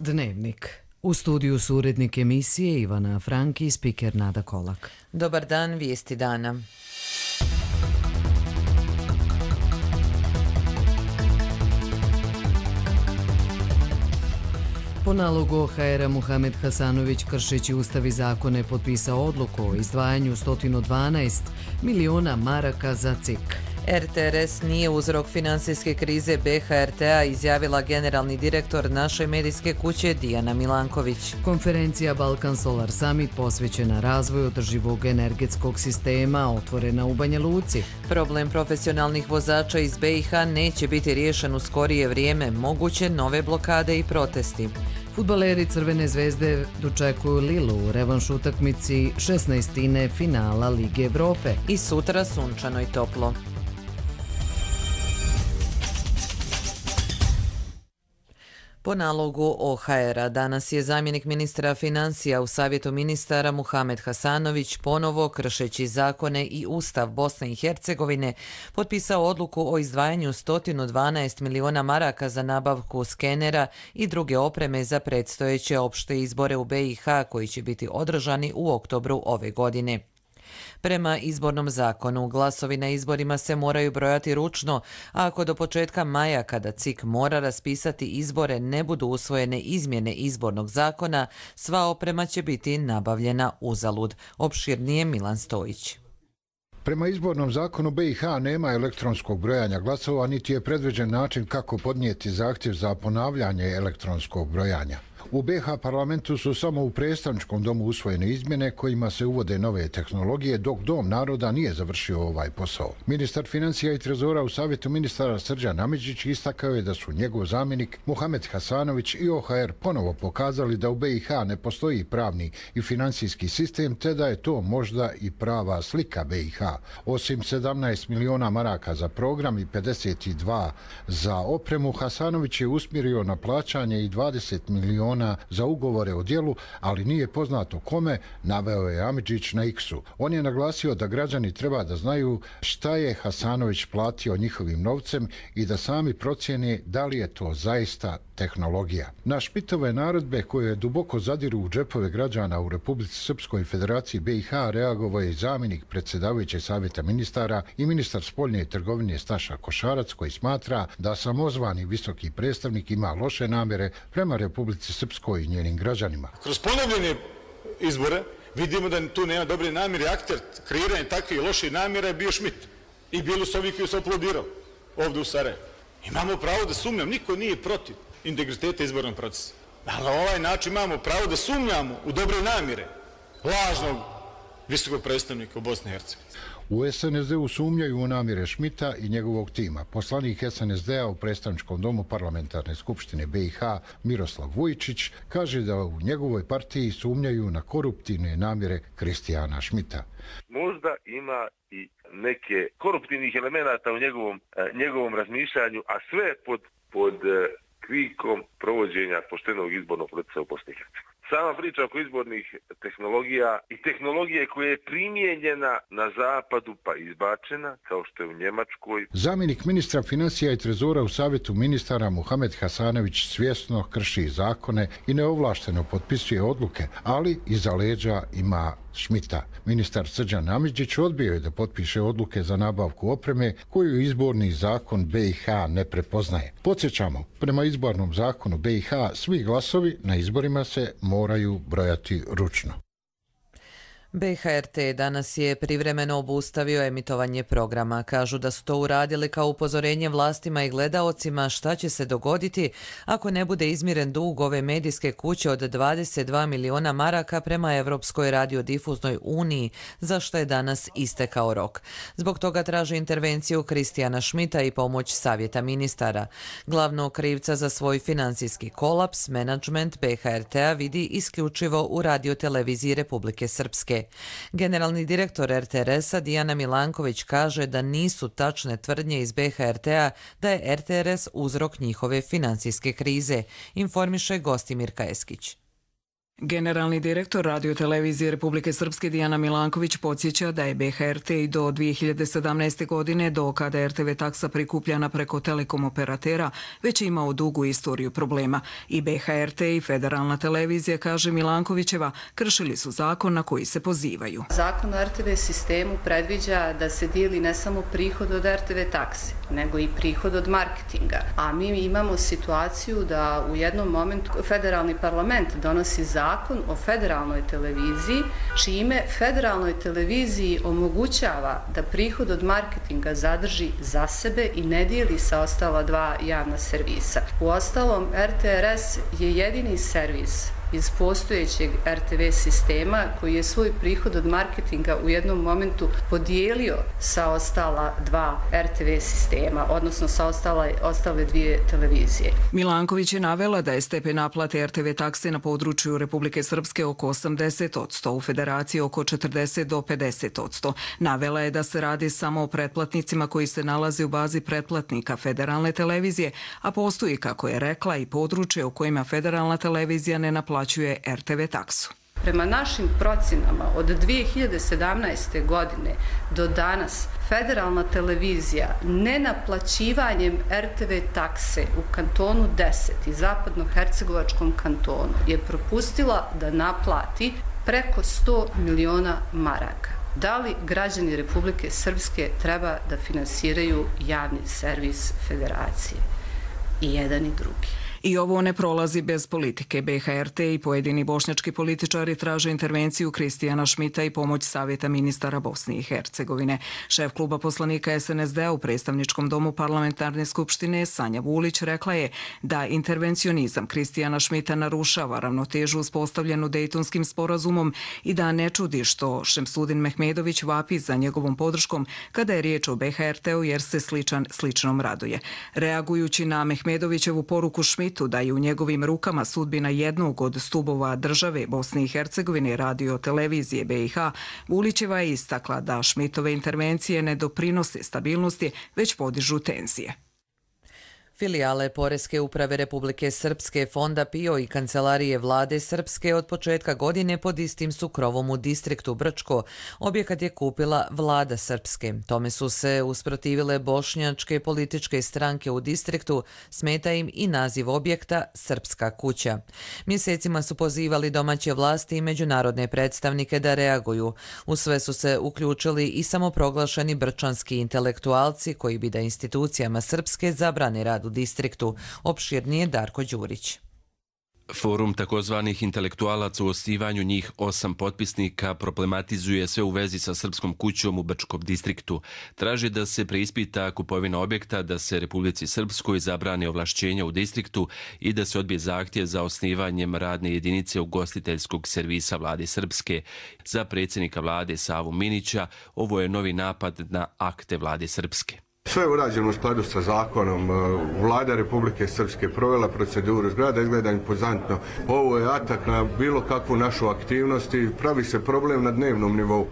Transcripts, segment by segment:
Dnevnik. U studiju su urednik emisije Ivana Franki i spiker Nada Kolak. Dobar dan, vijesti dana. Po nalogu OHR-a Muhamed Hasanović, kršeći Ustav i zakone, potpisao odluku o izdvajanju 112 miliona maraka za CIK. RTRS nije uzrok finansijske krize BHRT-a, izjavila generalni direktor naše medijske kuće Dijana Milanković. Konferencija Balkan Solar Summit posvećena razvoju održivog energetskog sistema otvorena u Banja Luci. Problem profesionalnih vozača iz BiH neće biti riješen u skorije vrijeme, moguće nove blokade i protesti. Fudbaleri Crvene zvezde dočekuju Lilu u revanš utakmici 16. finala Lige Evrope. I sutra sunčano i toplo. Po nalogu OHR-a danas je zamjenik ministra financija u Savjetu ministara Muhamed Hasanović ponovo, kršeći zakone i Ustav Bosne i Hercegovine, potpisao odluku o izdvajanju 112 miliona maraka za nabavku skenera i druge opreme za predstojeće opšte izbore u BiH koji će biti održani u oktobru ove godine. Prema izbornom zakonu, glasovi na izborima se moraju brojati ručno, a ako do početka maja, kada CIK mora raspisati izbore, ne budu usvojene izmjene izbornog zakona, sva oprema će biti nabavljena uzalud. Opširnije Milan Stojić. Prema izbornom zakonu BiH nema elektronskog brojanja glasova, niti je predviđen način kako podnijeti zahtjev za ponavljanje elektronskog brojanja. U BiH parlamentu su samo u predstavničkom domu usvojene izmjene kojima se uvode nove tehnologije, dok Dom naroda nije završio ovaj posao. Ministar financija i trezora u Savjetu ministara Srđan Amidžić istakao je da su njegov zamjenik Muhamed Hasanović i OHR ponovo pokazali da u BiH ne postoji pravni i financijski sistem, te da je to možda i prava slika BiH. Osim 17 miliona maraka za program i 52 za opremu, Hasanović je usmjerio na plaćanje i 20 miliona za ugovore o djelu, ali nije poznato kome, naveo je Amidžić na X-u. On je naglasio da građani treba da znaju šta je Hasanović platio njihovim novcem i da sami procjene da li je to zaista tehnologija. Na špitove naredbe koje duboko zadiru u džepove građana u Republici Srpskoj Federaciji BiH reagovao je i zamjenik predsjedavajućeg Savjeta ministara i ministar spoljne trgovine Staša Košarac, koji smatra da samozvani visoki predstavnik ima loše namjere prema Republici Srpskoj i njenim građanima. Kroz ponovljene izbore vidimo da tu nema dobre namjere. Akter kreiranja takvih loših namjera je bio Šmit. I bili su ovi koji su aplodirali ovdje u Sarajevu. Imamo pravo da sumnjamo, niko nije protiv integriteta izbornog procesa. Ali na ovaj način imamo pravo da sumnjamo u dobre namjere lažnog visokog predstavnika u Bosni i Hercegovini. U SNSD-u sumnjaju u namjere Šmita i njegovog tima. Poslanik SNSD-a u predstavničkom domu Parlamentarne skupštine BiH Miroslav Vujičić kaže da u njegovoj partiji sumnjaju na koruptivne namjere Kristijana Šmita. Možda ima i neke koruptivnih elemenata u njegovom razmišljanju, a sve pod kvikom provođenja poštenog izbornog procesa u Bosni i Hercegovini. Sama priča oko izbornih tehnologija i tehnologije koja je primijenjena na zapadu pa izbačena, kao što je u Njemačkoj. Zamjenik ministra financija i trezora u Savjetu ministara Muhamed Hasanović svjesno krši zakone i neovlašteno potpisuje odluke, ali iza leđa ima Šmita. Ministar Srđan Amidžić odbio je da potpiše odluke za nabavku opreme koju izborni zakon BiH ne prepoznaje. Podsjećamo, prema izbornom zakonu BiH svi glasovi na izborima se moraju brojati ručno. BHRT danas je privremeno obustavio emitovanje programa. Kažu da su to uradili kao upozorenje vlastima i gledaocima šta će se dogoditi ako ne bude izmiren dug ove medijske kuće od 22 miliona maraka prema Evropskoj radiodifuznoj uniji, za što je danas istekao rok. Zbog toga traže intervenciju Kristijana Šmita i pomoć Savjeta ministara. Glavnog krivca za svoj finansijski kolaps menadžment BHRT-a vidi isključivo u radioteleviziji Republike Srpske. Generalni direktor RTRS-a Dijana Milanković kaže da nisu tačne tvrdnje iz BHRT-a da je RTRS uzrok njihove finansijske krize, informiše Gostimir Kajeskić. Generalni direktor radiotelevizije Republike Srpske Dijana Milanković podsjeća da je BHRT i do 2017. godine, do kada RTV taksa prikupljana preko telekom operatera, već imao dugu istoriju problema. I BHRT i Federalna televizija, kaže Milankovićeva, kršili su zakon na koji se pozivaju. Zakon o RTV sistemu predviđa da se dijeli ne samo prihod od RTV takse, nego i prihod od marketinga. A mi imamo situaciju da u jednom momentu federalni parlament donosi zakon o federalnoj televiziji, čime federalnoj televiziji omogućava da prihod od marketinga zadrži za sebe i ne dijeli sa ostala dva javna servisa. Uostalom, RTRS je jedini servis iz postojećeg RTV sistema koji je svoj prihod od marketinga u jednom momentu podijelio sa ostala dva RTV sistema, odnosno sa ostale dvije televizije. Milanković je navela da je stepen naplate RTV takse na području Republike Srpske oko 80%, u Federaciji oko 40 do 50%. Navela je da se radi samo o pretplatnicima koji se nalaze u bazi pretplatnika Federalne televizije, a postoji, kako je rekla, i područje u kojima Federalna televizija ne naplaćuje RTV taksu. Prema našim procenama od 2017. godine do danas Federalna televizija nenaplaćivanjem RTV takse u kantonu 10 i zapadnohercegovačkom kantonu je propustila da naplati preko 100 miliona maraka. Da li građani Republike Srpske treba da finansiraju javni servis Federacije? I jedan i drugi. I ovo ne prolazi bez politike. BHRT i pojedini bošnjački političari traže intervenciju Kristijana Šmita i pomoć Savjeta ministara Bosne i Hercegovine. Šef kluba poslanika SNSD-a u predstavničkom domu parlamentarne skupštine Sanja Vulić rekla je da intervencionizam Kristijana Šmita narušava ravnotežu uspostavljenu Dejtonskim sporazumom i da ne čudi što Šemsudin Mehmedović vapi za njegovom podrškom kada je riječ o BHRT-u jer se sličnom raduje. Reagujući na Mehmedovićevu poruku Šmita da je u njegovim rukama sudbina jednog od stubova države Bosne i Hercegovine, radio televizije BiH, Vulićeva je istakla da Šmitove intervencije ne doprinose stabilnosti, već podižu tenzije. Filijale Poreske uprave Republike Srpske, Fonda PIO i Kancelarije vlade Srpske od početka godine pod istim su krovom u distriktu Brčko. Objekat je kupila vlada Srpske. Tome su se usprotivile bošnjačke političke stranke u distriktu, smeta im i naziv objekta Srpska kuća. Mjesecima su pozivali domaće vlasti i međunarodne predstavnike da reaguju. U sve su se uključili i samoproglašeni brčanski intelektualci koji bi da institucijama Srpske zabrane rad u distriktu. Opširnije Darko Đurić. Forum takozvanih intelektualaca u osnivanju njih 8 potpisnika problematizuje sve u vezi sa Srpskom kućom u Brčkom distriktu. Traži da se preispita kupovina objekta, da se Republici Srpskoj zabrane ovlašćenja u distriktu i da se odbije zahtjev za osnivanjem radne jedinice ugostiteljskog servisa vlade Srpske. Za predsjednika vlade Savu Minića ovo je novi napad na akte vlade Srpske. Sve je urađeno u skladu sa zakonom. Vlada Republike Srpske provela proceduru, zgrada izgleda impozantno. Ovo je atak na bilo kakvu našu aktivnost i pravi se problem na dnevnom nivou.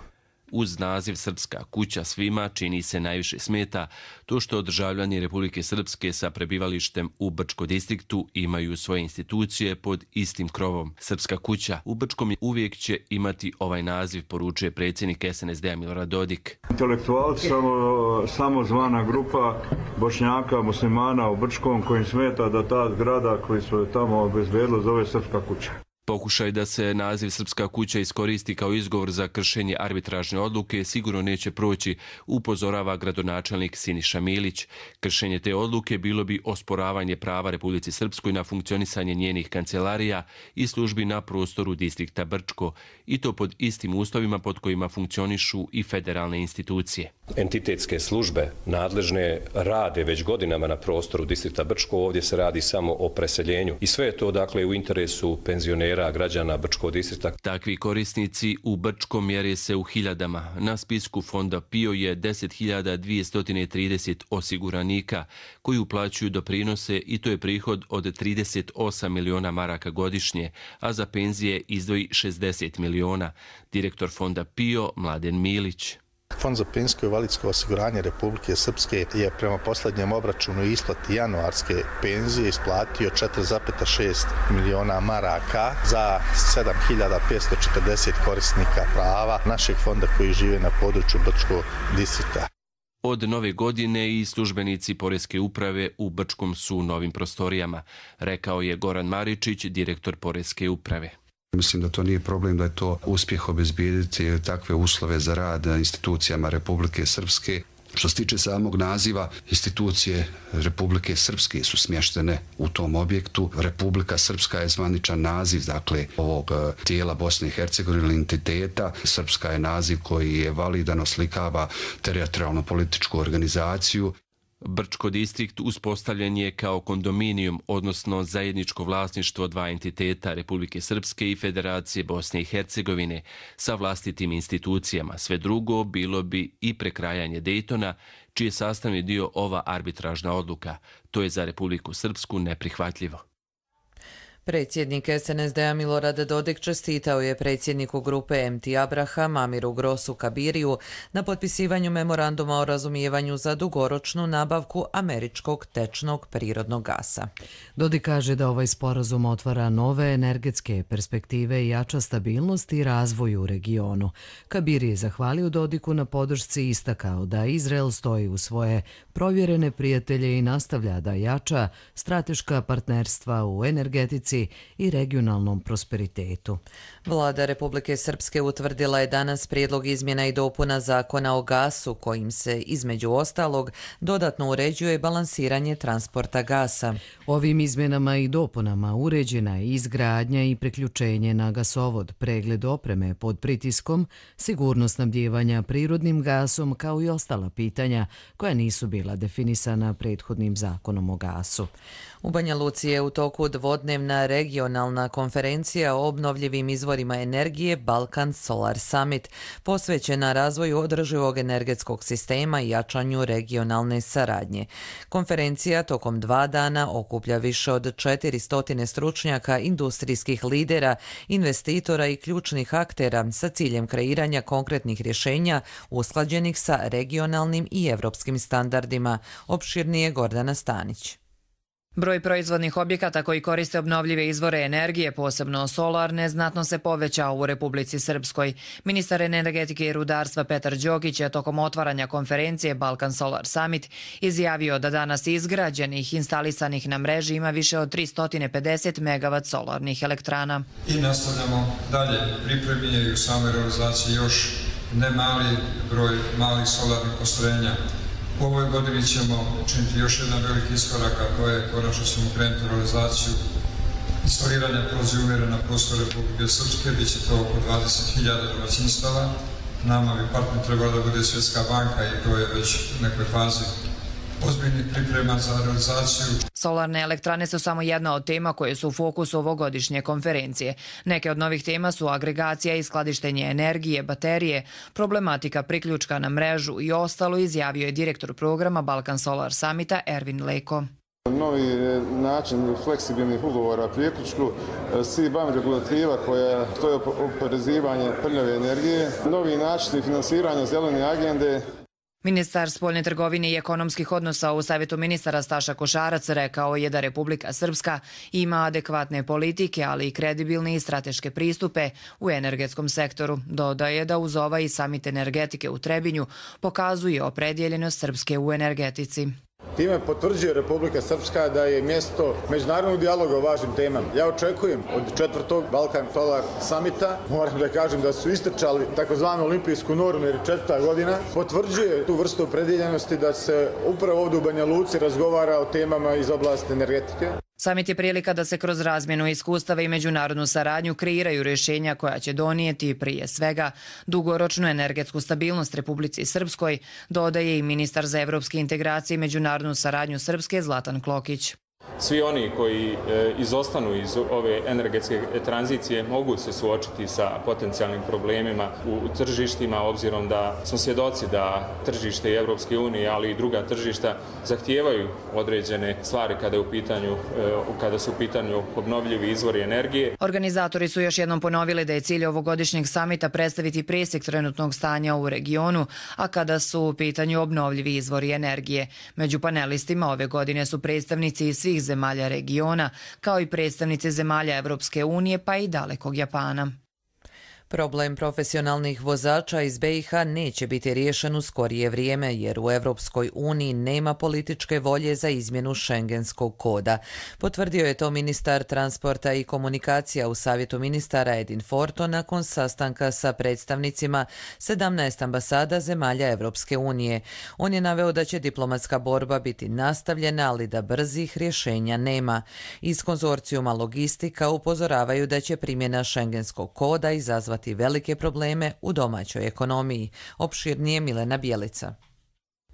Uz naziv Srpska kuća svima čini se najviše smeta to što državljani Republike Srpske sa prebivalištem u Brčkom distriktu imaju svoje institucije pod istim krovom. Srpska kuća u Brčkom uvijek će imati ovaj naziv, poručuje predsjednik SNSD-a Milorad Dodik. Intelektualci samo zvana grupa Bošnjaka, muslimana u Brčkom kojim smeta da ta zgrada koji su tamo obezbedili zove Srpska kuća. Pokušaj da se naziv Srpska kuća iskoristi kao izgovor za kršenje arbitražne odluke sigurno neće proći, upozorava gradonačelnik Siniša Milić. Kršenje te odluke bilo bi osporavanje prava Republici Srpskoj na funkcionisanje njenih kancelarija i službi na prostoru distrikta Brčko, i to pod istim uslovima pod kojima funkcionišu i federalne institucije. Entitetske službe nadležne rade već godinama na prostoru distrikta Brčko, ovdje se radi samo o preseljenju i sve je to dakle u interesu penzionera, građana Brčkog distrikta. Takvi korisnici u Brčkom mjere se u hiljadama. Na spisku Fonda PIO je 10.230 osiguranika koji uplaćuju doprinose i to je prihod od 38 miliona maraka godišnje, a za penzije izdvoji 60 miliona. Direktor Fonda PIO Mladen Milić. Fond za penzijsko i invalidsko osiguranje Republike Srpske je prema posljednjem obračunu i isplati januarske penzije isplatio 4,6 miliona maraka za 7.540 korisnika prava našeg fonda koji žive na području Brčkog distrikta. Od nove godine i službenici Poreske uprave u Brčkom su u novim prostorijama, rekao je Goran Maričić, direktor Poreske uprave. Mislim da to nije problem, da je to uspjeh obezbijediti takve uslove za rad institucijama Republike Srpske. Što se tiče samog naziva, institucije Republike Srpske su smještene u tom objektu. Republika Srpska je zvaničan naziv, dakle, ovog tijela Bosne i Hercegovine, entiteta. Srpska je naziv koji je validan, oslikava teritorijalno političku organizaciju. Brčko distrikt uspostavljen je kao kondominijum, odnosno zajedničko vlasništvo dva entiteta Republike Srpske i Federacije Bosne i Hercegovine sa vlastitim institucijama. Sve drugo bilo bi i prekrajanje Dejtona, čiji je sastavni dio ova arbitražna odluka. To je za Republiku Srpsku neprihvatljivo. Predsjednik SNSD-a Milorad Dodik čestitao je predsjedniku grupe MT Abraham Amiru Grosu Kabiriju na potpisivanju memoranduma o razumijevanju za dugoročnu nabavku američkog tečnog prirodnog gasa. Dodik kaže da ovaj sporazum otvara nove energetske perspektive i jača stabilnost i razvoj u regionu. Kabiri je zahvalio Dodiku na podršci i istakao da Izrael stoji u svoje provjerene prijatelje i nastavlja da jača strateška partnerstva u energetici i regionalnom prosperitetu. Vlada Republike Srpske utvrdila je danas prijedlog izmjena i dopuna zakona o gasu, kojim se, između ostalog, dodatno uređuje balansiranje transporta gasa. Ovim izmjenama i dopunama uređena je izgradnja i priključenje na gasovod, pregled opreme pod pritiskom, sigurnost snabdijevanja prirodnim gasom, kao i ostala pitanja koja nisu bila definisana prethodnim zakonom o gasu. U Banja Luci je u toku dvodnevna regionalna konferencija o obnovljivim izvorima energije Balkan Solar Summit, posvećena razvoju održivog energetskog sistema i jačanju regionalne saradnje. Konferencija tokom 2 dana okuplja više od 400 stručnjaka, industrijskih lidera, investitora i ključnih aktera sa ciljem kreiranja konkretnih rješenja usklađenih sa regionalnim i evropskim standardima. Opširnije Gordana Stanić. Broj proizvodnih objekata koji koriste obnovljive izvore energije, posebno solarne, znatno se povećao u Republici Srpskoj. Ministar energetike i rudarstva Petar Đokić je tokom otvaranja konferencije Balkan Solar Summit izjavio da danas izgrađenih, instalisanih na mreži ima više od 350 MW solarnih elektrana. I nastavljamo dalje. Pripremljen je u samoj realizaciji još ne mali broj malih solarnih postrojenja. U ovoj godini ćemo učiniti još jedan veliki iskorak, a to je konačno ćemo krenuti realizaciju instaliranja prozijumera na prostoru Republike Srpske, bit će to oko 20.000 domaćinstava. Nama bi partner trebala da bude Svjetska banka i to je već u nekoj fazi ozbiljnih priprema za realizaciju. Solarne elektrane su samo jedna od tema koje su u fokusu ovogodišnje konferencije. Neke od novih tema su agregacija i skladištenje energije, baterije, problematika priključka na mrežu i ostalo, izjavio je direktor programa Balkan Solar Summita Ervin Leko. Novi način fleksibilnih ugovora o priključku, CBAM regulativa koja stoji oporezivanje prljave energije, novi način finansiranja zelene agende. Ministar spoljne trgovine i ekonomskih odnosa u Savjetu ministara Staša Košarac rekao je da Republika Srpska ima adekvatne politike, ali i kredibilne i strateške pristupe u energetskom sektoru. Dodaje da uz ovaj samit energetike u Trebinju pokazuje opredjeljenost Srpske u energetici. Time potvrđuje Republika Srpska da je mjesto međunarodnog dijaloga o važnim temama. Ja očekujem od 4. Balkan Solar Summita, moram da kažem da su istrčali takozvanu olimpijsku normu jer 4. godina, potvrđuje tu vrstu opredjeljenosti da se upravo ovdje u Banja Luci razgovara o temama iz oblasti energetike. Samit je prilika da se kroz razmjenu iskustava i međunarodnu saradnju kreiraju rješenja koja će donijeti prije svega dugoročnu energetsku stabilnost Republici Srpskoj, dodaje i ministar za evropske integracije i međunarodnu saradnju Srpske Zlatan Klokić. Svi oni koji izostanu iz ove energetske tranzicije mogu se suočiti sa potencijalnim problemima u tržištima, obzirom da smo svjedoci da tržište Europske unije, ali i druga tržišta zahtijevaju određene stvari kada su u pitanju obnovljivi izvori energije. Organizatori su još jednom ponovili da je cilj ovogodišnjeg samita predstaviti presjek trenutnog stanja u regionu, a kada su u pitanju obnovljivi izvori energije. Među panelistima ove godine su predstavnici iz svih zemalja regiona, kao i predstavnici zemalja Evropske unije pa i dalekog Japana. Problem profesionalnih vozača iz BiH neće biti riješen u skorije vrijeme jer u Evropskoj uniji nema političke volje za izmjenu šengenskog koda. Potvrdio je to ministar transporta i komunikacija u Savjetu ministara Edin Forto nakon sastanka sa predstavnicima 17 ambasada zemalja Evropske unije. On je naveo da će diplomatska borba biti nastavljena, ali da brzih rješenja nema. Iz konzorcijuma Logistika upozoravaju da će primjena šengenskog koda izazvati velike probleme u domaćoj ekonomiji. Opširnije Milena Bjelica.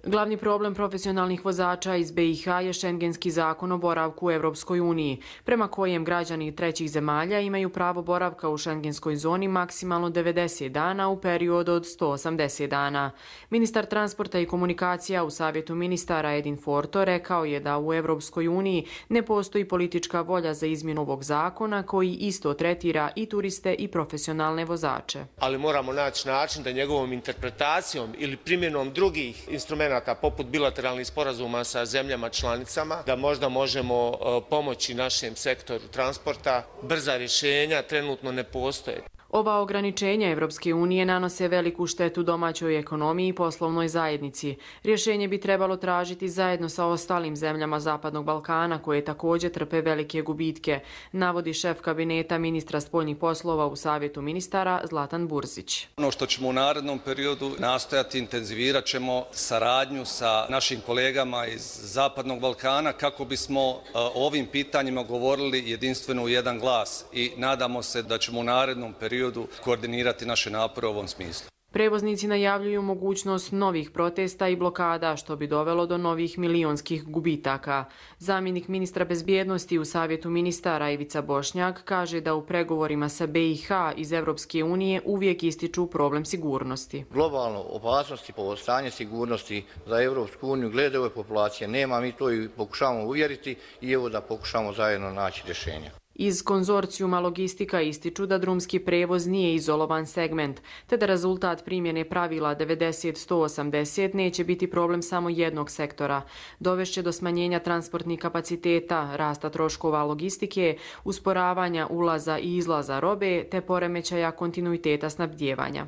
Glavni problem profesionalnih vozača iz BiH je šengenski zakon o boravku u Evropskoj uniji, prema kojem građani trećih zemalja imaju pravo boravka u šengenskoj zoni maksimalno 90 dana u periodu od 180 dana. Ministar transporta i komunikacija u Savjetu ministara Edin Forto rekao je da u Evropskoj uniji ne postoji politička volja za izmjenu ovog zakona koji isto tretira i turiste i profesionalne vozače. Ali moramo naći način da njegovom interpretacijom ili primjenom drugih instrumenta poput bilateralnih sporazuma sa zemljama članicama, da možda možemo pomoći našem sektoru transporta. Brza rješenja trenutno ne postoje. Ova ograničenja Evropske unije nanose veliku štetu domaćoj ekonomiji i poslovnoj zajednici. Rješenje bi trebalo tražiti zajedno sa ostalim zemljama Zapadnog Balkana koje također trpe velike gubitke, navodi šef kabineta ministra spoljnih poslova u Savjetu ministara Zlatan Burzić. Ono što ćemo u narednom periodu nastojati, intenzivirat ćemo saradnju sa našim kolegama iz Zapadnog Balkana kako bismo o ovim pitanjima govorili jedinstveno u jedan glas i nadamo se da ćemo u narednom periodu koordinirati naše napore u ovom smislu. Prevoznici najavljuju mogućnost novih protesta i blokada, što bi dovelo do novih milionskih gubitaka. Zamjenik ministra bezbjednosti u Savjetu ministara Ivica Bošnjak kaže da u pregovorima sa BiH iz Evropske unije uvijek ističu problem sigurnosti. Globalno opasnosti po stanje sigurnosti za Evropsku uniju glede ove populacije nema, mi to i pokušavamo uvjeriti i evo da pokušamo zajedno naći rješenja. Iz konzorcijuma Logistika ističu da drumski prevoz nije izolovan segment, te da rezultat primjene pravila 90-180 neće biti problem samo jednog sektora. Dovešće do smanjenja transportnih kapaciteta, rasta troškova logistike, usporavanja ulaza i izlaza robe, te poremećaja kontinuiteta snabdijevanja.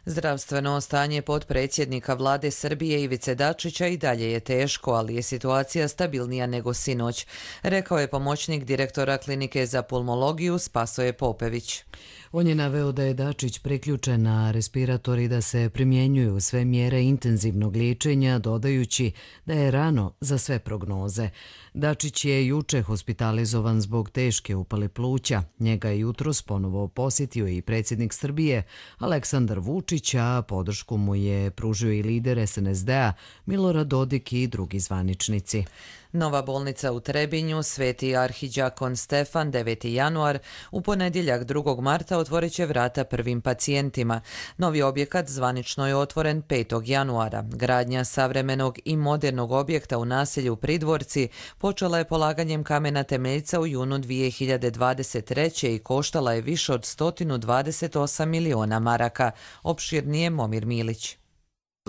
Zdravstveno stanje potpredsjednika vlade Srbije Ivice Dačića i dalje je teško, ali je situacija stabilnija nego sinoć, rekao je pomoćnik direktora klinike za pulmologiju Spasoje Popević. On je naveo da je Dačić priključen na respirator i da se primjenjuju sve mjere intenzivnog liječenja, dodajući da je rano za sve prognoze. Dačić je juče hospitalizovan zbog teške upale pluća. Njega je jutros ponovo posjetio i predsjednik Srbije Aleksandar Vučić, a podršku mu je pružio i lider SNSD-a Milorad Dodik i drugi zvaničnici. Nova bolnica u Trebinju, Sveti arhiđakon Stefan, 9. januar, u ponedjeljak 2. marta otvorit će vrata prvim pacijentima. Novi objekat zvanično je otvoren 5. januara. Gradnja savremenog i modernog objekta u naselju Pridvorci počela je polaganjem kamena temeljca u junu 2023. i koštala je više od 128 miliona maraka. Opširnije Momir Milić.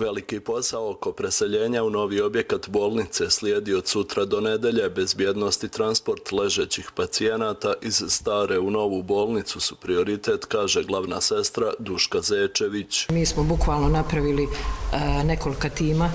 Veliki posao oko preseljenja u novi objekat bolnice slijedi od sutra do nedelje. Bezbjednost i transport ležećih pacijenata iz stare u novu bolnicu su prioritet, kaže glavna sestra Duška Zečević. Mi smo bukvalno napravili nekoliko tima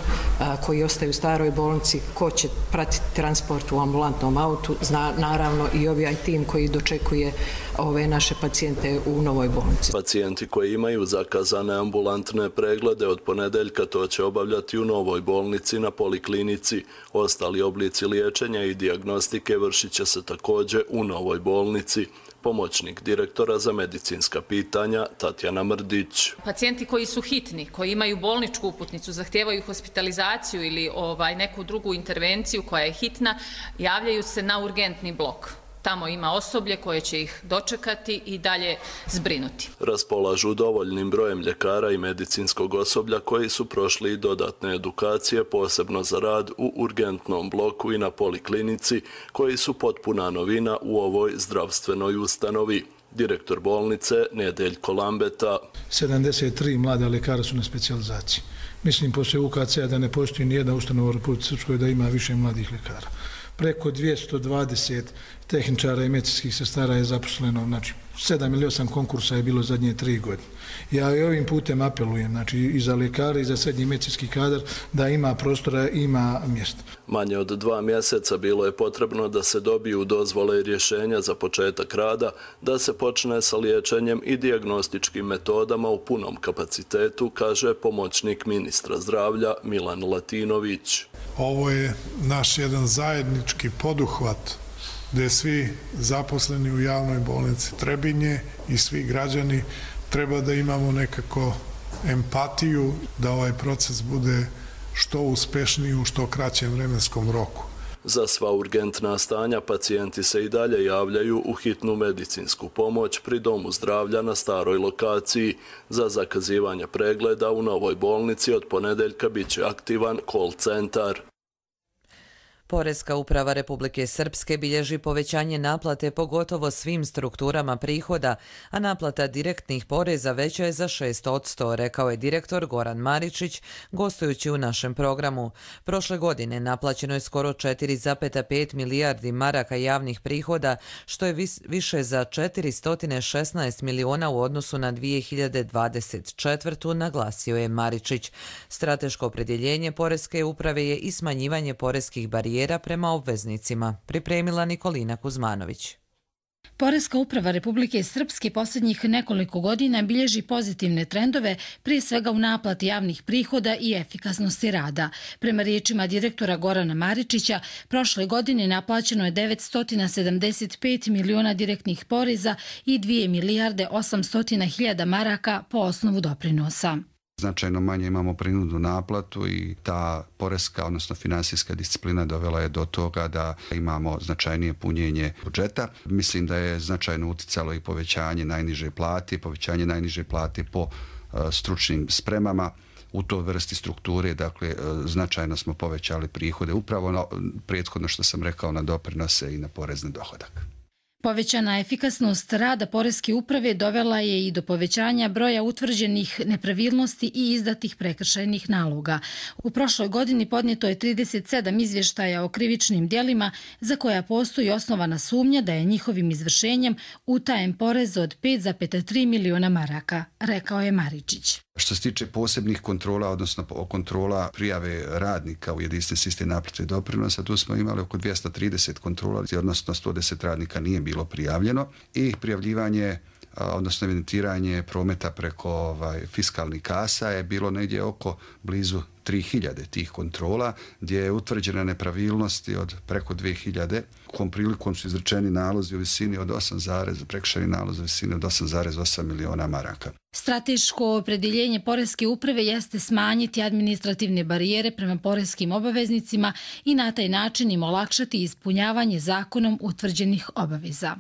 koji ostaju u staroj bolnici, ko će pratiti transport u ambulantnom autu, naravno i ovaj tim koji dočekuje ove naše pacijente u novoj bolnici. Pacijenti koji imaju zakazane ambulantne preglede od ponedeljka to će obavljati u novoj bolnici na Poliklinici. Ostali oblici liječenja i dijagnostike vršit će se također u novoj bolnici. Pomoćnik direktora za medicinska pitanja Tatjana Mrdić. Pacijenti koji su hitni, koji imaju bolničku uputnicu, zahtijevaju hospitalizaciju ili neku drugu intervenciju koja je hitna, javljaju se na urgentni blok. Tamo ima osoblje koje će ih dočekati i dalje zbrinuti. Raspolažu dovoljnim brojem ljekara i medicinskog osoblja koji su prošli i dodatne edukacije, posebno za rad u urgentnom bloku i na Poliklinici, koji su potpuna novina u ovoj zdravstvenoj ustanovi. Direktor bolnice Nedeljko Lambeta. 73 mlada ljekara su na specijalizaciji. Mislim poslije UKC-a da ne postoji nijedna ustanova u Republici Srpskoj da ima više mladih ljekara. Preko 220 tehničara i medicinskih sestara je zaposleno, znači 7 ili 8 konkursa je bilo zadnje 3 godine. Ja i ovim putem apelujem, znači i za ljekare i za srednji medicinski kadar da ima prostora, ima mjesta. Manje od 2 mjeseca bilo je potrebno da se dobiju dozvole i rješenja za početak rada, da se počne sa liječenjem i dijagnostičkim metodama u punom kapacitetu, kaže pomoćnik ministra zdravlja Milan Latinović. Ovo je naš jedan zajednički poduhvat gdje svi zaposleni u javnoj bolnici Trebinje i svi građani treba da imamo nekako empatiju da ovaj proces bude što uspešniji u što kraćem vremenskom roku. Za sva urgentna stanja pacijenti se i dalje javljaju u hitnu medicinsku pomoć pri Domu zdravlja na staroj lokaciji. Za zakazivanje pregleda u novoj bolnici od ponedeljka bit će aktivan call centar. Poreska uprava Republike Srpske bilježi povećanje naplate po gotovo svim strukturama prihoda, a naplata direktnih poreza veća je za 6%, rekao je direktor Goran Maričić, gostujući u našem programu. Prošle godine naplaćeno je skoro 4,5 milijardi maraka javnih prihoda, što je više za 416 miliona u odnosu na 2024. naglasio je Maričić. Strateško opredjeljenje Poreske uprave je i smanjivanje poreskih barijera prema obveznicima, pripremila Nikolina Kuzmanović. Poreska uprava Republike Srpske posljednjih nekoliko godina bilježi pozitivne trendove, prije svega u naplati javnih prihoda i efikasnosti rada. Prema riječima direktora Gorana Maričića, prošle godine naplaćeno je 975 miliona direktnih poreza i 2 milijarde 800 hiljada maraka po osnovu doprinosa. Značajno manje imamo prinudnu naplatu i ta poreska, odnosno finansijska disciplina dovela je do toga da imamo značajnije punjenje budžeta. Mislim da je značajno uticalo i povećanje najniže plate po stručnim spremama. U toj vrsti strukture, dakle, značajno smo povećali prihode, upravo prethodno što sam rekao na doprinose i na porez na dohodak. Povećana efikasnost rada Poreske uprave dovela je i do povećanja broja utvrđenih nepravilnosti i izdatih prekršajnih naloga. U prošloj godini podnijeto je 37 izvještaja o krivičnim djelima za koja postoji osnovana sumnja da je njihovim izvršenjem utajen porez od 5,3 miliona maraka, rekao je Maričić. Što se tiče posebnih kontrola, odnosno kontrola prijave radnika u jedinstveni sistem naplate doprinosa, tu smo imali oko 230 kontrola, odnosno 110 radnika nije bilo prijavljeno i prijavljivanje, odnosno evidentiranje prometa preko fiskalnih kasa je bilo negdje oko blizu 3000 tih kontrola, gdje je utvrđena nepravilnosti od preko 2000. Kom prilikom su izrečeni nalozi u visini od 8,8 miliona maraka. Strateško opredjeljenje Poreske uprave jeste smanjiti administrativne barijere prema poreskim obaveznicima i na taj način im olakšati ispunjavanje zakonom utvrđenih obaveza.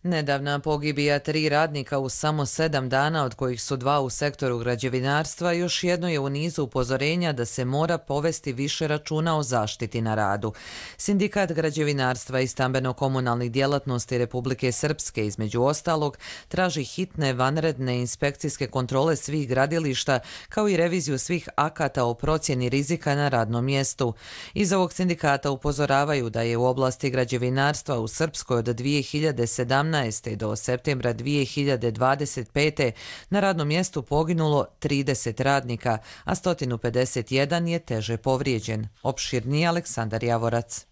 Nedavna pogibija 3 radnika u samo 7 dana, od kojih su 2 u sektoru građevinarstva, još jedno je u nizu upozorenja da se mora povesti više računa o zaštiti na radu. Sindikat građevinarstva i stambeno-komunalnih djelatnosti Republike Srpske, između ostalog, traži hitne vanredne inspekcijske kontrole svih gradilišta, kao i reviziju svih akata o procjeni rizika na radnom mjestu. Iz ovog sindikata upozoravaju da je u oblasti građevinarstva u Srpskoj od 2017. do septembra 2025. na radnom mjestu poginulo 30 radnika, a 151 je teže povrijeđen. Opširniji Aleksandar Javorac.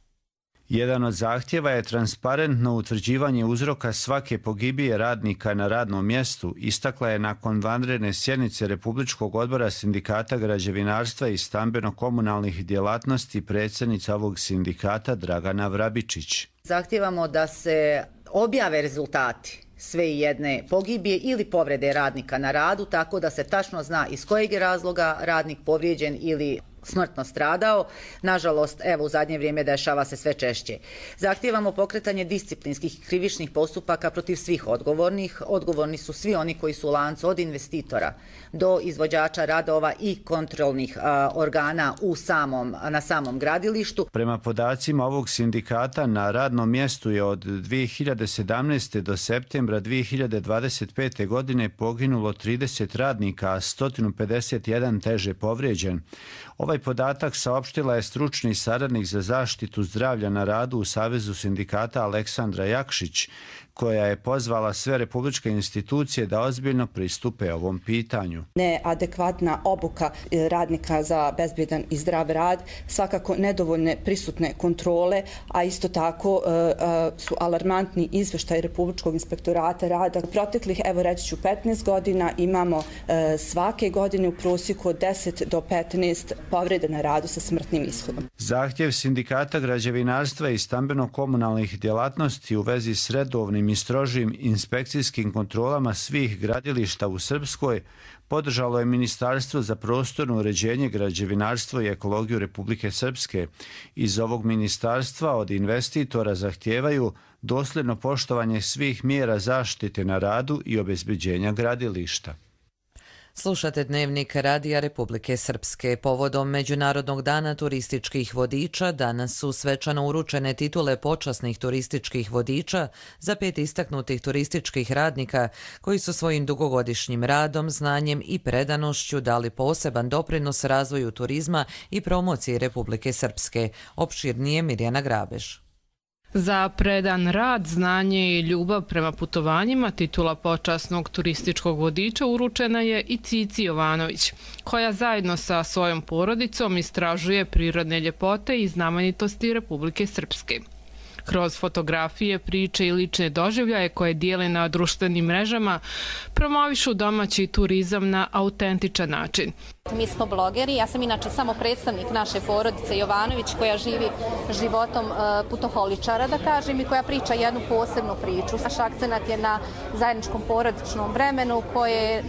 Jedan od zahtjeva je transparentno utvrđivanje uzroka svake pogibije radnika na radnom mjestu, istakla je nakon vanredne sjednice Republičkog odbora sindikata građevinarstva i stambeno-komunalnih djelatnosti predsjednica ovog sindikata Dragana Vrabičić. Zahtijevamo da se objave rezultati sve jedne pogibije ili povrede radnika na radu, tako da se tačno zna iz kojeg je razloga radnik povrijeđen ili smrtno stradao. Nažalost, evo u zadnje vrijeme dešava se sve češće. Zahtijevamo pokretanje disciplinskih i krivičnih postupaka protiv svih odgovornih. Odgovorni su svi oni koji su u lancu od investitora do izvođača radova i kontrolnih organa na samom gradilištu. Prema podacima ovog sindikata, na radnom mjestu je od 2017. do septembra 2025. godine poginulo 30 radnika, a 151 teže povrijeđen. Ovaj podatak saopštila je stručni saradnik za zaštitu zdravlja na radu u Savezu sindikata Aleksandra Jakšić, koja je pozvala sve republičke institucije da ozbiljno pristupe ovom pitanju. Neadekvatna obuka radnika za bezbjedan i zdrav rad, svakako nedovoljne prisutne kontrole, a isto tako su alarmantni izvještaj Republičkog inspektorata rada. U proteklih, evo reći ću, 15 godina imamo svake godine u prosjeku od 10 do 15 povreda na radu sa smrtnim ishodom. Zahtjev sindikata građevinarstva i stambeno-komunalnih djelatnosti u vezi s redovnim i strožim inspekcijskim kontrolama svih gradilišta u Srpskoj podržalo je Ministarstvo za prostorno uređenje, građevinarstvo i ekologiju Republike Srpske. Iz ovog ministarstva od investitora zahtijevaju dosljedno poštovanje svih mjera zaštite na radu i obezbeđenja gradilišta. Slušate Dnevnik Radija Republike Srpske. Povodom Međunarodnog dana turističkih vodiča danas su svečano uručene titule počasnih turističkih vodiča za 5 istaknutih turističkih radnika koji su svojim dugogodišnjim radom, znanjem i predanošću dali poseban doprinos razvoju turizma i promociji Republike Srpske. Opširnije Mirjana Grabež. Za predan rad, znanje i ljubav prema putovanjima titula počasnog turističkog vodiča uručena je i Cici Jovanović, koja zajedno sa svojom porodicom istražuje prirodne ljepote i znamenitosti Republike Srpske. Kroz fotografije, priče i lične doživljaje koje dijele na društvenim mrežama, promovišu domaći turizam na autentičan način. Mi smo blogeri, ja sam inače samo predstavnik naše porodice Jovanović koja živi životom putoholičara, da kažem, i koja priča jednu posebnu priču. Naš akcenat je na zajedničkom porodičnom vremenu koje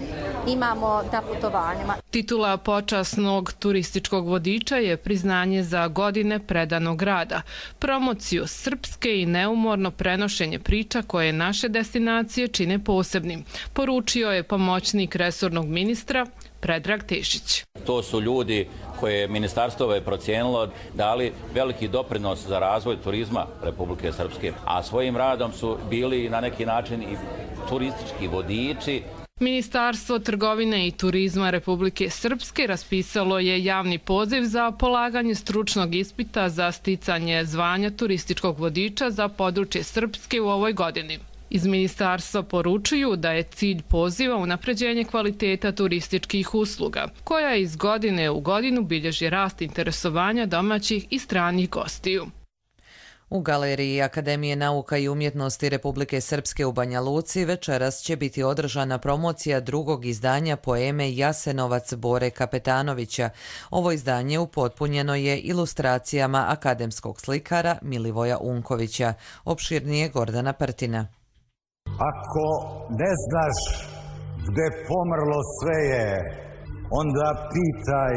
imamo na putovanjima. Titula počasnog turističkog vodiča je priznanje za godine predanog rada, promociju srpske i neumorno prenošenje priča koje naše destinacije čine posebnim, poručio je pomoćnik resornog ministra Predrag Tešić. To su ljudi koje je ministarstvo procijenilo dali veliki doprinos za razvoj turizma Republike Srpske, a svojim radom su bili na neki način i turistički vodiči. Ministarstvo trgovine i turizma Republike Srpske raspisalo je javni poziv za polaganje stručnog ispita za sticanje zvanja turističkog vodiča za područje Srpske u ovoj godini. Iz ministarstva poručuju da je cilj poziva unapređenje kvaliteta turističkih usluga, koja iz godine u godinu bilježi rast interesovanja domaćih i stranih gostiju. U Galeriji Akademije nauka i umjetnosti Republike Srpske u Banja Luci večeras će biti održana promocija drugog izdanja poeme Jasenovac Bore Kapetanovića. Ovo izdanje upotpunjeno je ilustracijama akademskog slikara Milivoja Unkovića. Opširnije Gordana Prtina. Ako ne znaš gde pomrlo sve je, onda pitaj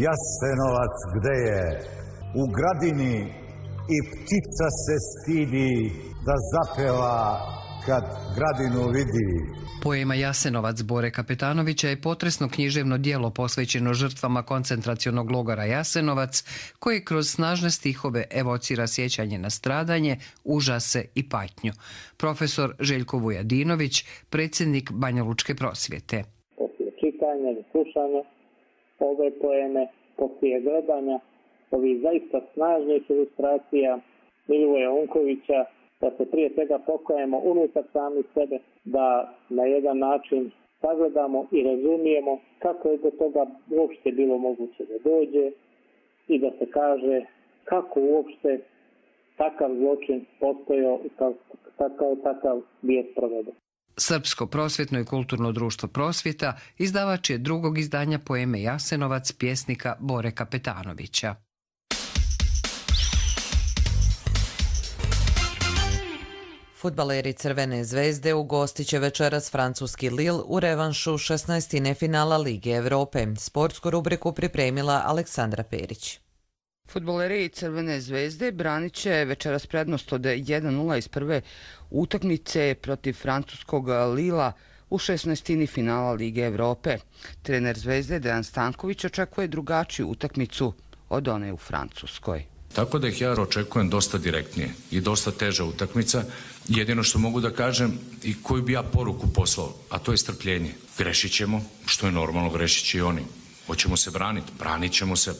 Jasenovac gde je. U gradini i ptica se stidi da zapeva kad gradinu vidi. Poema Jasenovac Bore Kapetanovića je potresno književno djelo posvećeno žrtvama koncentracionog logora Jasenovac, koje kroz snažne stihove evocira sjećanje na stradanje, užase i patnju. Profesor Željko Vujadinović, predsjednik Banja Lučke prosvjete. Poslije čitanja i slušanja ove poeme, poslije gledanja ovih zaista snažnih ilustracija Milivoja Unkovića, da se prije svega pokajemo unutar sami sebe, da na jedan način sagledamo i razumijemo kako je do toga uopšte bilo moguće da dođe i da se kaže kako uopšte takav zločin postojao i kao takav bio sproveden. Srpsko prosvjetno i kulturno društvo Prosvjeta izdavač je drugog izdanja poeme Jasenovac pjesnika Bore Kapetanovića. Fudbaleri Crvene zvezde ugostit će večeras francuski Lille u revanšu 16. finala Lige Evrope. Sportsku rubriku pripremila Aleksandra Perić. Fudbaleri Crvene zvezde branit će večeras prednost od 1-0 iz prve utakmice protiv francuskog Lila u 16. finala Lige Evrope. Trener Zvezde Dejan Stanković očekuje drugačiju utakmicu od one u Francuskoj. Tako da ih ja očekujem dosta direktnije i dosta teža utakmica. Jedino što mogu da kažem i koju bi ja poruku poslao, a to je strpljenje. Grešit ćemo, što je normalno, grešit će i oni. Hoćemo se braniti, branit ćemo se,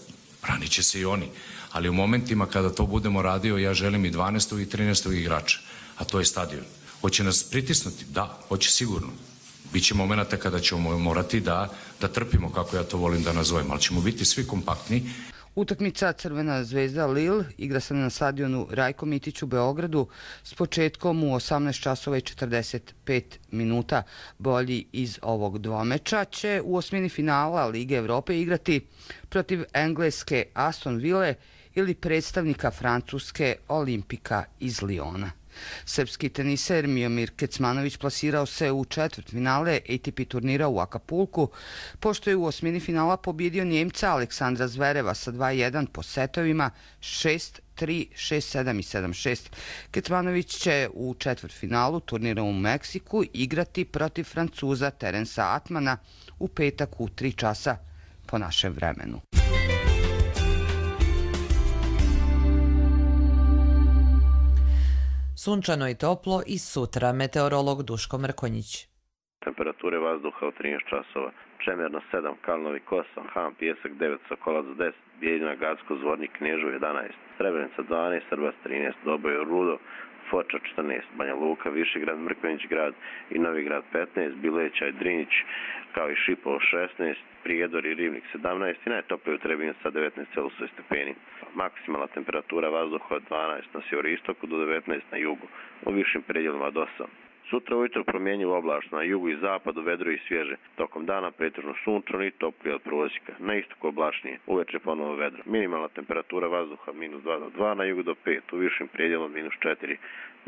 branit će se i oni. Ali u momentima kada to budemo radio, ja želim i 12. i 13. igrača, a to je stadion. Hoće nas pritisnuti? Da, hoće sigurno. Biće momenta kada ćemo morati da trpimo, kako ja to volim da nazovem, ali ćemo biti svi kompaktni. Utakmica Crvena zvezda Lille igra se na stadionu Rajko Mitić u Beogradu s početkom u 18 časova i 45 minuta. Bolji iz ovog dvomeča će u osmini finala Lige Evrope igrati protiv engleske Aston Ville ili predstavnika francuske Olimpika iz Liona. Srpski teniser Miomir Kecmanović plasirao se u četvrtfinale ATP turnira u Akapulku, pošto je u osmini finala pobjedio Njemca Aleksandra Zvereva sa 2-1 po setovima 6-3, 6-7 i 7-6. Kecmanović će u četvrtfinalu turnira u Meksiku igrati protiv Francuza Terensa Atmana u petak u 3 časa po našem vremenu. Sunčano i toplo i sutra, meteorolog Duško Mrkonjić. Temperature vazduha u 13 časova. Čemerno 7, Kalnovi Kosa, Han, Pijesak 9, Sokolac 10, Bijeljina, Gacko, Zvornik, Knežu 11, Srebrenica 12, Srbas 13, Doboj, Rudo, Foča 14, Banja Luka, Višegrad, Mrkonjić grad i Novigrad 15, Bileća i Drinjić, kao i Šipovo 16, Prijedor i Rivnik 17 i najtoplije u Trebinju sa 19,6 stepeni. Maksimalna temperatura vazduha od 12 na sjeveroistoku do 19 na jugu, u višim predjelima do 8. Sutra ujutro promjenjivo oblačno, na jugu i zapadu vedro i svježe. Tokom dana pretežno sunčano i toplije od prosjeka. Na istoku oblačnije, uveče ponovo vedro. Minimalna temperatura vazduha -2 do 2, na jugu do 5, u višim predjelima -4.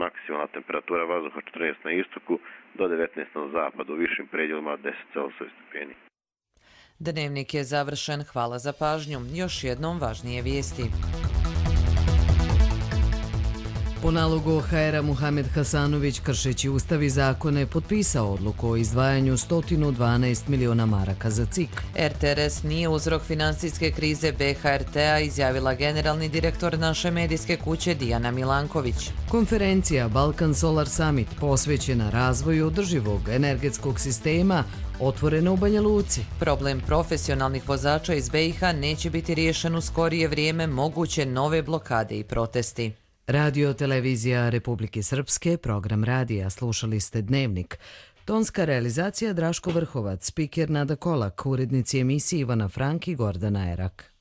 Maksimalna temperatura vazduha 14 na istoku do 19 na zapadu, u višim predjelima 10,6 stepeni. Dnevnik je završen, hvala za pažnju. Još jednom važnije vijesti. Po nalogu OHR-a Muhamed Hasanović, kršeći ustav i zakone, potpisao odluku o izdvajanju 112 miliona maraka za CIK. RTRS nije uzrok financijske krize BHRT-a, izjavila generalni direktor naše medijske kuće Dijana Milanković. Konferencija Balkan Solar Summit posvećena razvoju održivog energetskog sistema otvorena u Banja Luci. Problem profesionalnih vozača iz BiH neće biti riješen u skorije vrijeme, moguće nove blokade i protesti. Radio Televizija Republike Srpske, program radija, slušali ste Dnevnik. Tonska realizacija Draško Vrhovac, spiker Nada Kolak, urednici emisije Ivana Frank i Gordana Erak.